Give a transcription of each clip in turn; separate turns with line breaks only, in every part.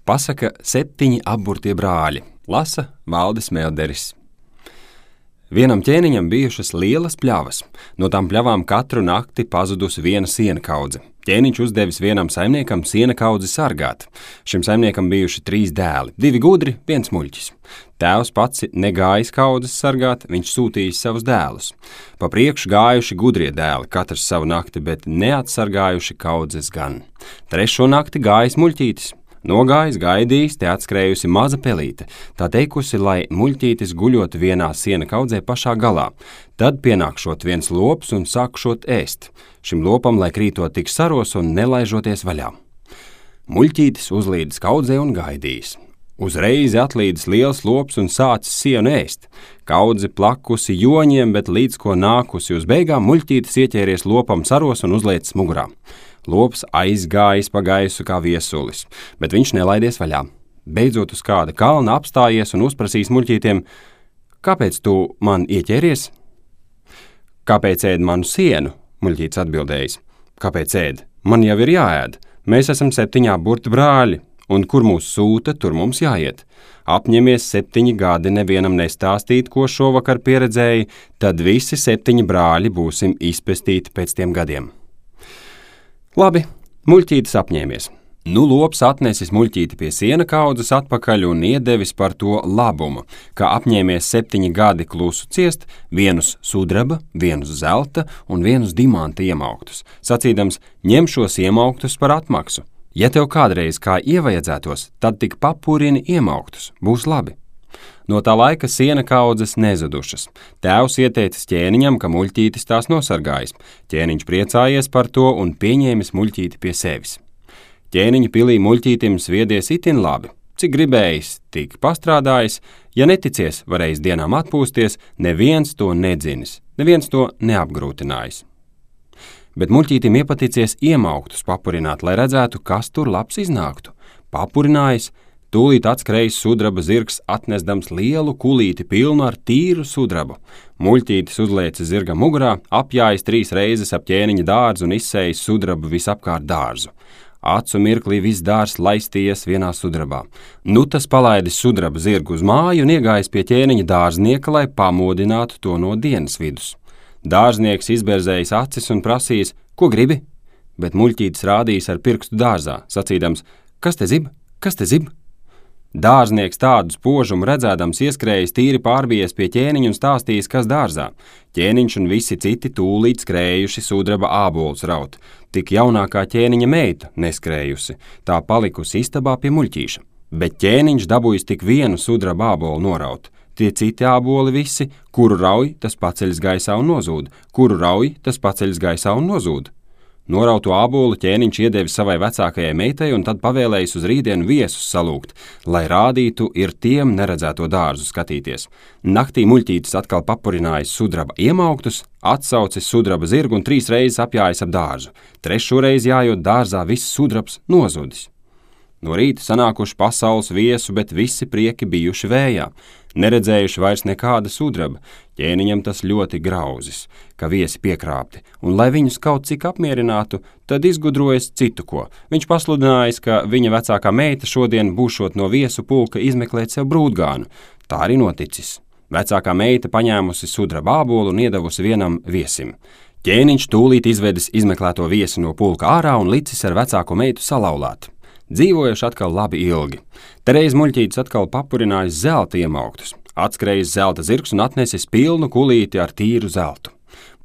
Pasaka 7 apburtie brāļi, lasa Valdis Melderis. Vienam ķēniņam bijušas lielas pļavas. No tām pļavām katru nakti pazudusi viena sienakaudze. Ķēniņš uzdevis vienam saimniekam sienakaudzi sargāt. Šim saimniekam bijuši 3 dēli, 2 gudri, 1 muļķis. Tēvs pats negājis kaudzes sargāt, viņš sūtījis savus dēlus. Pa priekšu gājuši gudrie dēli, katrs savu nakti, bet neatsargājuši kaudzes gan. 3. nakti gājis muļķītis. Nogājis, gaidījis, te atskrējusi maza pelīte, tā teikusi, lai muļķītis guļot vienā siena kaudzē pašā galā. Tad pienākšot viens lops un sākšot ēst. Šim lopam, lai krītot tik saros un nelaižoties vaļā. Muļķītis uzlīdis kaudzē un gaidījis. Uzreiz atlīdis liels lops un sācis sienu ēst. Kaudze plakusi joņiem, bet līdz ko nākusi uz beigām, muļķītis ieķēries lopam saros un uzliecis mugurā. Lops aizgājis pa gaisu kā viesulis, bet viņš nelaidies vaļā. Beidzot uz kāda kalna apstājies un uzprasīs muļķītiem: kāpēc tu man ieķēries? Kāpēc ēd manu sienu? Muļķītis atbildējis: kāpēc ēd? Man jau ir jāēd. Mēs esam 7 apburti brāļi, un kur mūs sūta, tur mums jāiet. Apņemies 7 gadi nevienam nestāstīt, ko šovakar pieredzēji, tad visi 7 brāļi būsim izpestīti pēc tiem gadiem. Labi, muļķītis apņēmies. Nu lops atnesis muļķīti pie siena kaudzes atpakaļ un iedevis par to labumu, ka apņēmies 7 gadi klusu ciest, 1 sudraba, 1 zelta un 1 dimanta iemauktus, sacīdams: ņem šos iemauktus par atmaksu. Ja tev kādreiz kā ievajadzētos, tad tik papurini iemauktus, būs labi. No tā laika siena kaudzes nezudušas. Tēvs ieteicis ķēniņam, ka muļķītis tās nosargājis. Ķēniņš priecājies par to un pieņēmis muļķīti pie sevis. Ķēniņa pilī muļķītim sviedies itin labi. Cik gribējis, tik pastrādājis, ja neticies, varējis dienām atpūsties, neviens to nedzinis, neviens to neapgrūtinājis. Bet muļķītim iepaticies iemauktus papurināt, lai redzētu, kas tur labs iznāktu. Papurinājis, tūlīt atskrējis sudraba zirgs, atnesdams lielu kulīti pilnu ar tīru sudrabu. Muļķītis uzliecis zirga mugurā, apjājis 3 reizes ap ķēniņa dārzu un izsējis sudrabu visapkārt dārzu. Acu mirklī viss dārzs laistījies vienā sudrabā. Nu tas palaidis sudraba zirgu uz māju un iegājis pie ķēniņa dārznieka, lai pamodinātu to no dienas vidus. Dārznieks izberzējis acis un prasījis: ko gribi? Bet muļķītis rādījis ar pirkstu dārzā, sacīdams: kas te zib? Kas te zib? Dārznieks tādu spožumu redzēdams ieskrējis tīri pārbijies pie ķēniņa un stāstījis, kas dārzā. Ķēniņš un visi citi tūlīt skrējuši sudraba ābolus raut. Tik jaunākā ķēniņa meita neskrējusi, tā palikusi istabā pie muļķīša. Bet ķēniņš dabūjis tik 1 sudraba ābolu noraut. Tie citi āboli visi, kuru rauj, tas paceļas gaisā un nozūd, kuru rauj, tas paceļas gaisā un nozūd. Norauto ābolu ķēniņš iedevis savai vecākajai meitai un tad pavēlējis uz rītdienu viesus salūgt, lai rādītu ir tiem neredzēto dārzu skatīties. Naktī muļķītis atkal papurinājis sudraba iemauktus, atsaucis sudraba zirgu un 3 reizes apjājis ap dārzu. 3. reizi jājot dārzā viss sudrabs nozudis. No rīta sanākuši pasaules viesu, bet visi prieki bijuši vējā. Neredzējuši vairs nekāda sudraba. Ķēniņam tas ļoti grauzis, ka viesi piekrāpti, un lai viņus kaut cik apmierinātu, tad izgudrojas citu ko. Viņš pasludinājis, ka viņa vecākā meita šodien būšot no viesu pulka izmeklēt sev brūdgānu. Tā arī noticis. Vecākā meita paņēmusi sudraba ābolu un iedavusi vienam viesim. Ķēniņš tūlīt izvedis izmeklēto viesi no pulka ārā un licis ar vecāko meitu salauzāt. Dzīvojuši atkal labi ilgi. Tereiz muļķītis atkal papurinājis zelta iemauktus, atskrējis zelta zirgs un atnesis pilnu kulīti ar tīru zeltu.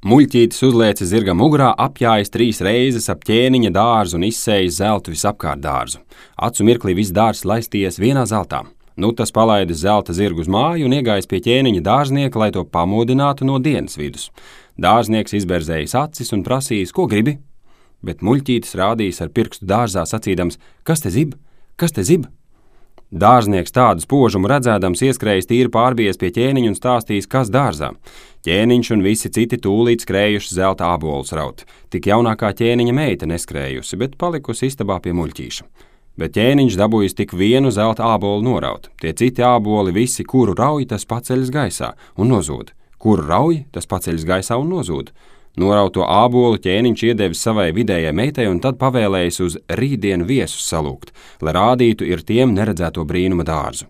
Muļķītis uzliecis zirga mugurā, apjājis 3 reizes ap ķēniņa dārzu un izsējis zeltu visapkārt dārzu. Acu mirklī viss dārzs laistījies vienā zeltā. Nu tas palaidis zelta zirgu uz māju un iegājis pie ķēniņa dārznieka, lai to pamodinātu no dienas vidus. Dārznieks izberzējis acis un prasījis: ko gribi? Bet muļķītis rādījis ar pirkstu dārzā, sacīdams: kas te zib? Kas te zib? Dārznieks tādu spožumu redzēdams ieskrējis tīri pārbijies pie ķēniņa un stāstījis, kas dārzā. Ķēniņš un visi citi tūlīt skrējuši zelta ābolus raut. Tik jaunākā ķēniņa meita neskrējusi, bet palikusi istabā pie muļķīša. Bet ķēniņš dabūjis tik 1 zelta ābolu noraut. Tie citi āboli visi, kuru rauj, tas paceļas gaisā un nozūd. Kuru rauj, tas paceļas gaisā un nozūd. Norauto ābolu ķēniņš iedevis savai vidējai meitai un tad pavēlējis uz rītdienu viesus salūgt, lai rādītu ir tiem neredzēto brīnuma dārzu.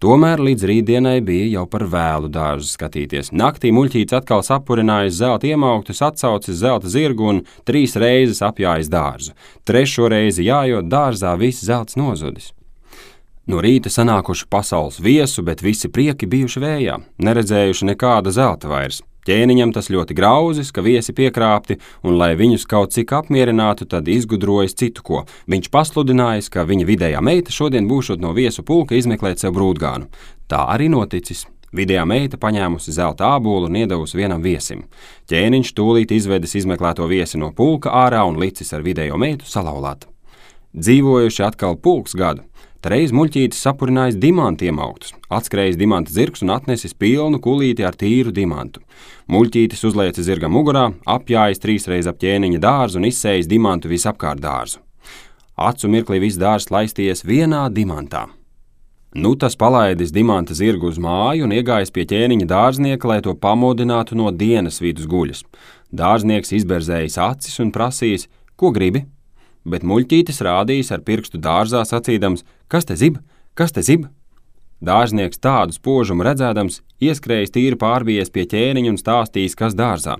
Tomēr līdz rītdienai bija jau par vēlu dārzu skatīties. Naktī muļķītis atkal sapurinājis zelta iemauktus, atsaucis zelta zirgu un 3 reizes apjājis dārzu. 3. reizi jājot dārzā viss zelts nozudis. No rīta sanākuši pasaules viesu, bet visi prieki bijuši vējā, neredzējuši nekāda zelta vairs. Ķēniņam tas ļoti grauzis, ka viesi piekrāpti, un, lai viņus kaut cik apmierinātu, tad izgudrojis citu ko. Viņš pasludinājis, ka viņa vidējā meita šodien būšot no viesu pulka izmeklēt sev brūtgānu. Tā arī noticis. Vidējā meita paņēmusi zelta ābolu un iedavusi vienam viesim. Ķēniņš tūlīt izvedis izmeklēto viesi no pulka ārā un licis ar vidējo meitu salauzāt. Dzīvojuši atkal pulks gadu. Reiz muļķītis sapurinājis dimantu iemauktus, atskrējis dimanta zirgs un atnesis pilnu kulīti ar tīru dimantu. Muļķītis uzliecis zirgam mugurā, apjājis 3 reizes ap ķēniņa dārzu un izsējis dimantu visapkārt dārzu. Acu mirklī viss dārzs laisties vienā dimantā. Nu tas palaidis dimanta zirgu uz māju un iegājis pie ķēniņa dārznieka, lai to pamodinātu no dienas vidus guļas. Dārznieks izberzējis acis un prasījis, ko gribi? Bet muļķītis rādījis ar pirkstu dārzā sacīdams, kas te zib, kas te zib? Dārznieks tādu spožumu redzēdams, ieskrējis tīri pārbijies pie ķēniņa un stāstījis, kas dārzā.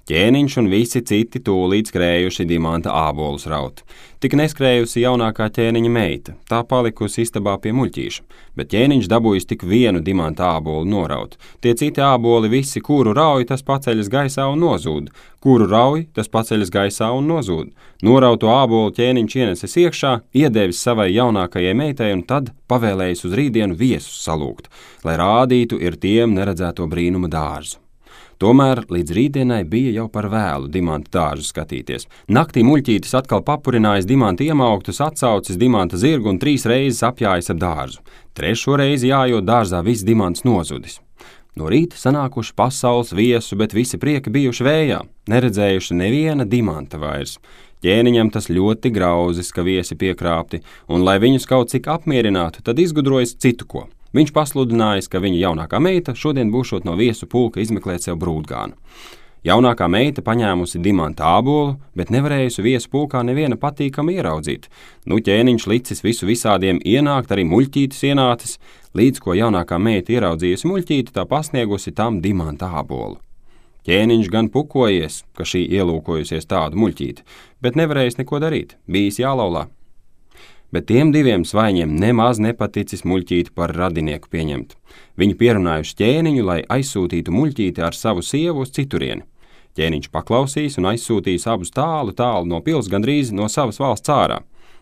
Ķēniņš un visi citi tūlīt skrējuši dimanta ābolus raut. Tik neskrējusi jaunākā ķēniņa meita, tā palikusi istabā pie muļķīša, bet ķēniņš dabūjis tik vienu dimanta ābolu noraut. Tie citi āboli visi, kuru rauj, tas paceļas gaisā un nozūd, kuru rauj, tas paceļas gaisā un nozūd. Norauto ābolu ķēniņš ienesis iekšā, iedevis savai jaunākajai meitai un tad pavēlējis uz rītdienu viesus salūgt, lai rādītu ir tiem neredzēto brīnuma dārzu. Tomēr līdz rītdienai bija jau par vēlu dimanta dārzu skatīties. Naktī muļķītis atkal papurinājis dimanta iemauktus, atsaucis dimanta zirgu un 3 reizes apjājis ap dārzu. 3. reizi jājot dārzā viss dimants nozudis. No rīta sanākuši pasaules viesu, bet visi prieki bijuši vējā, neredzējuši neviena dimanta vairs. Ķēniņam tas ļoti grauzis, ka viesi piekrāpti, un, lai viņus kaut cik apmierinātu, tad izgudrojis citu ko. Viņš pasludinājis, ka viņa jaunākā meita šodien būšot no viesu pulka izmeklēt sev brūtgānu. Jaunākā meita paņēmusi dimanta ābolu, bet nevarējusi viesu pulkā neviena patīkami ieraudzīt. Nu ķēniņš licis visu visādiem ienākt, arī muļķītis ienācis, līdz ko jaunākā meita ieraudzījusi muļķīti, tā pasniegusi tam dimanta ābolu. Ķēniņš gan pukojies, ka šī ielūkojusies tādu muļķīti, bet nevarējis neko darīt, bijis jālaulā. Bet tiem 2 svaiņiem nemaz nepaticis muļķīti par radinieku pieņemt. Viņi pierunājuši ķēniņu, lai aizsūtītu muļķīti ar savu sievu uz citurieni. Ķēniņš paklausīs un aizsūtīs abus tālu no pils, gandrīz no savas valsts ārā.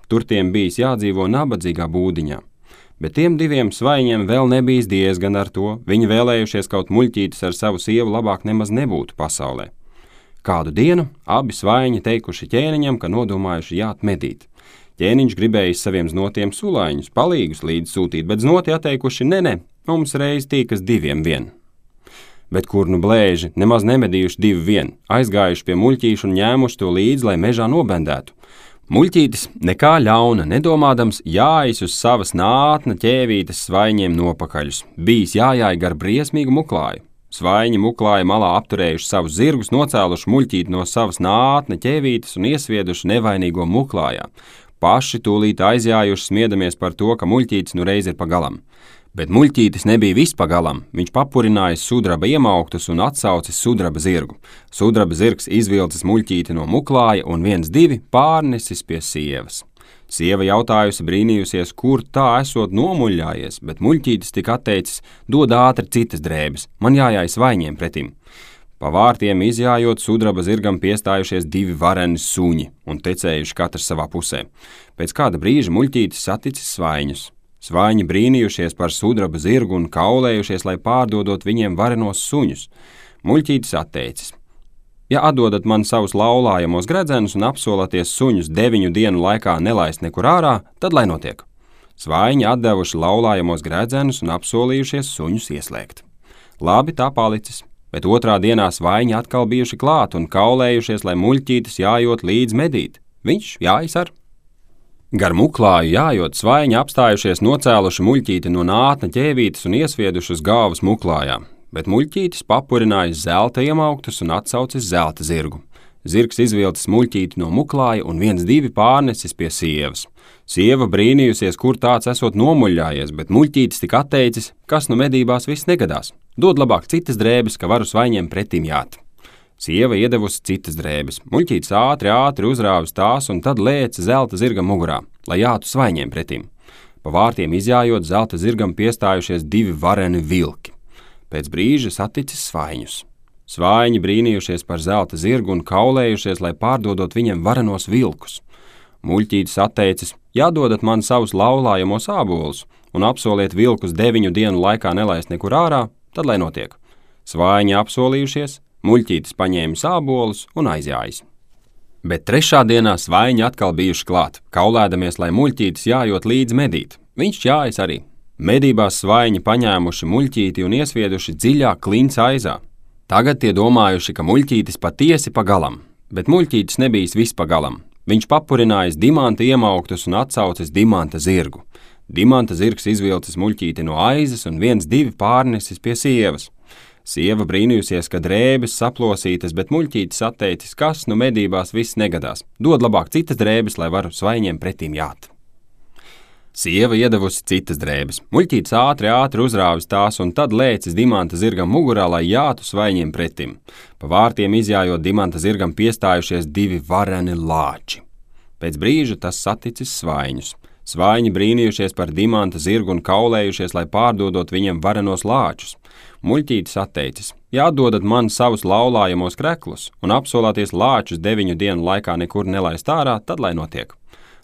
Tur tiem bijis jādzīvo nabadzīgā būdiņā. Bet tiem 2 svaiņiem vēl nebijis diezgan ar to. Viņi vēlējušies kaut muļķītis ar savu sievu labāk nemaz nebūtu pasaulē. Kādu dienu abi svaiņi teikuši ķēniņam, ka nodomājuši jāt medīt. Ķēniņš gribējis saviem znotiem sulaiņus, palīgus līdz sūtīt, bet znoti atteikuši, ne, mums reiz tīkas 2 vien. Bet kur nu blēži, nemaz nemedījuši 2 vien, aizgājuši pie muļķīša un ņēmuši to līdzi, lai mežā nobendētu. Muļķītis, nekā ļauna, nedomādams, jājis uz savas nātna ķēvītes svaiņiem nopakaļus, bijis jājāj gar briesmīgu muklāju. Svaiņi muklāja malā apturējuši savus zirgus, nocēluši muļķīti no savas nātna ķēvītes un iesvieduši nevainīgo muklājā. Paši tūlīt aizjājuši smiedamies par to, ka muļķītis nu reiz ir pagalam. Bet muļķītis nebija vispagalam, viņš papurinājis sudraba iemauktus un atsaucis sudraba zirgu. Sudraba zirgs izvilcis muļķīti no muklāja un 1-2 pārnesis pie sievas. Sieva jautājusi brīnījusies, kur tā esot nomuļļājies, bet muļķītis tik atteicis, dod ātri citas drēbes, man jājāj svaiņiem pretim. Pa vārtiem izjājot, sudraba zirgam piestājušies 2 vareni suņi un tecējuši katrs savā pusē. Pēc kāda brīža muļķītis saticis svaiņus. Svaiņi brīnījušies par sudraba zirgu un kaulējušies, lai pārdodot viņiem varenos suņus. Muļķītis atteicis. Ja atdodat man savus laulājamos gredzenus un apsolaties suņus 9 dienu laikā nelaist nekur ārā, tad lai notiek. Svaiņi atdevuši laulājamos gredzenus un apsolījušies suņus ieslēgt. Labi, tā palicis. Bet otrā dienā svaiņi atkal bijuši klāt un kaulējušies, lai muļķītis jājot līdz medīt. Viņš jājas ar. Gar muklāju jājot, svaiņi apstājušies nocēluši muļķīti no nātna ķēvītes un iesvieduši uz galvas muklājā. bet muļķītis papurinājis zelta iemauktus un atsaucis zelta zirgu. Zirgs izvilcis muļķīti no muklāja un 1-2 pārnesis pie sievas. Sieva brīnījusies, kur tāds esot nomuļļājies, bet muļķītis tik atteicis, kas nu medībās viss negadās. Dod labāk citas drēbes, ka varu svaiņiem pretim jāt. Sieva iedevusi citas drēbes. Muļķītis ātri uzrāvis tās un tad lēca zelta zirgam mugurā, lai jātu svaiņiem pretim. Pa vārtiem izjājot, zelta zirgam piestājušies 2 vareni vilki. Pēc brīža saticis svaiņus. Svaiņi brīnījušies par zelta zirgu un kaulējušies, lai pārdodot viņiem varenos vilkus. Muļķītis atteicis, jādodat man savus laulājamos ābolus un apsoliet vilkus 9 dienu laikā nelaist nekur ārā, tad lai notiek. Svaiņi apsolījušies, muļķītis paņēmis ābolus un aizjājis. Bet 3. dienā svaiņi atkal bijuši klāt, kaulēdamies, lai muļķītis jājot līdz medīt. Viņš jājas arī. Medībās svaiņi paņēmuši muļķīti un iesvieduši dziļā klinca aizā. Tagad tie domājuši, ka muļķītis patiesi pagalam, bet muļķītis nebijis vispagalam. Viņš papurinājis dimanta iemauktus un atsaucis dimanta zirgu. Dimanta zirgs izvilcis muļķīti no aizas un 1-2 pārnesis pie sievas. Sieva brīnījusies, ka drēbes saplosītas, bet muļķītis atteicis, kas nu medībās viss negadās. Dod labāk citas drēbes, lai varu svaiņiem pretīm jāt. Sieva iedevusi citas drēbes. Muļķītis ātri uzrāvis tās un tad lēcis dimanta zirgam mugurā, lai jātu svaiņiem pretim. Pa vārtiem izjājot, dimanta zirgam piestājušies 2 vareni lāči. Pēc brīža tas saticis svaiņus. Svaiņi brīnījušies par dimanta zirgu un kaulējušies, lai pārdodot viņiem varenos lāčus. Muļķītis atteicis, jādodat man savus laulājamos kreklus un apsolāties lāčus 9 dienu laikā nekur nelaist ārā, tad lai notiek.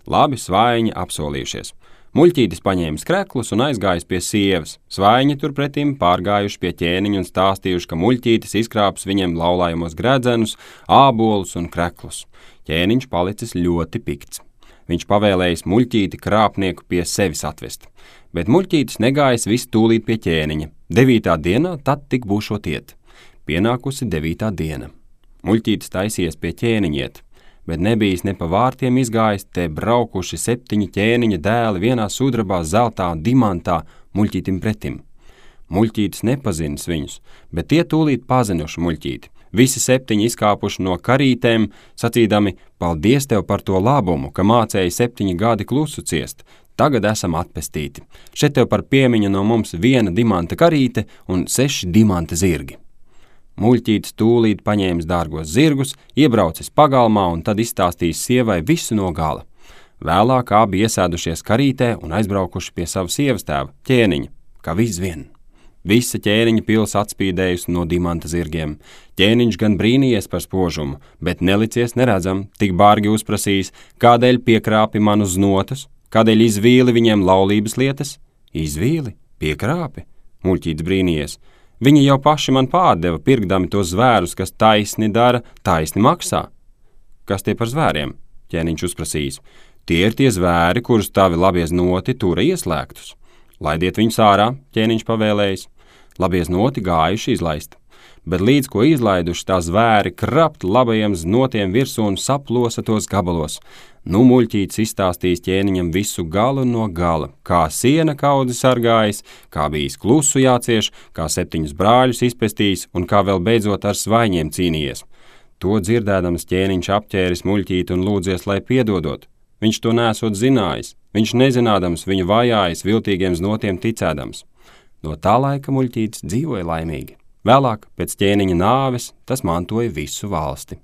Labi, svaiņi apsolījušies. Muļķītis paņēmis kreklus un aizgājis pie sievas. Svaiņi turpretim pārgājuši pie ķēniņa un stāstījuši, ka muļķītis izkrāps viņiem laulājamos gredzenus, ābolus un kreklus. Ķēniņš palicis ļoti pikts. Viņš pavēlējis muļķīti krāpnieku pie sevis atvest. Bet muļķītis negājis visu tūlīt pie ķēniņa. 9. dienā tad tik būšot iet. Pienākusi 9. diena. Muļķītis taisies pie ķēniņa iet. Bet nebijis ne pa vārtiem izgājis, te braukuši 7 ķēniņa dēli vienā sudrabā, zeltā un dimantā muļķītim pretim. Muļķītis nepazinis viņus, bet tie tūlīt pazinuši muļķīti. Visi 7 izkāpuši no karītēm, sacīdami, paldies tev par to labumu, ka mācēji 7 gadi klusu ciest. Tagad esam atpestīti. Šeit tev par piemiņu no mums 1 dimanta karīte un 6 dimanta zirgi. Muļķītis tūlīt paņēmis dārgos zirgus, iebraucis pagalmā un tad izstāstījis sievai visu no gala. Vēlāk abi iesēdušies karītē un aizbraukuši pie sava sievas tēva, ķēniņa, kā viss vien. Visa ķēniņa pils atspīdējusi no dimanta zirgiem. Ķēniņš gan brīnījies par spožumu, bet nelicies neredzam, tik bārgi uzprasījis, kādēļ piekrāpi man uz notus, kādēļ izvīli viņiem laulības lietas. Izvīli? Piekrāpi? Muļķītis brīnījies. Viņi jau paši man pārdeva, pirkdami tos zvērus, kas taisni dara, taisni maksā. Kas tie par zvēriem? Ķēniņš uzprasījis. Tie ir tie zvēri, kurus tavi labie znoti tura ieslēgtus. Laidiet viņus ārā, ķēniņš pavēlējis. Labie znoti gājuši izlaist. Bet līdz ko izlaiduši, tā zvēri krapt labajiem znotiem virsū un saplosa tos gabalos. Nu muļķītis izstāstījis ķēniņam visu galu no gala, kā siena kaudzi sargājis, kā bijis klusu jācieš, kā 7 brāļus izpestījis un kā vēl beidzot ar svaiņiem cīnījies. To dzirdēdams ķēniņš apķēris muļķīti un lūdzies, lai piedodot. Viņš to nesot zinājis, viņš nezinādams viņu vajājis viltīgiem znotiem ticēdams. No tā laika muļķītis dzīvoja laimīgi. Vēlāk, pēc ķēniņa nāves, tas mantoja visu valsti.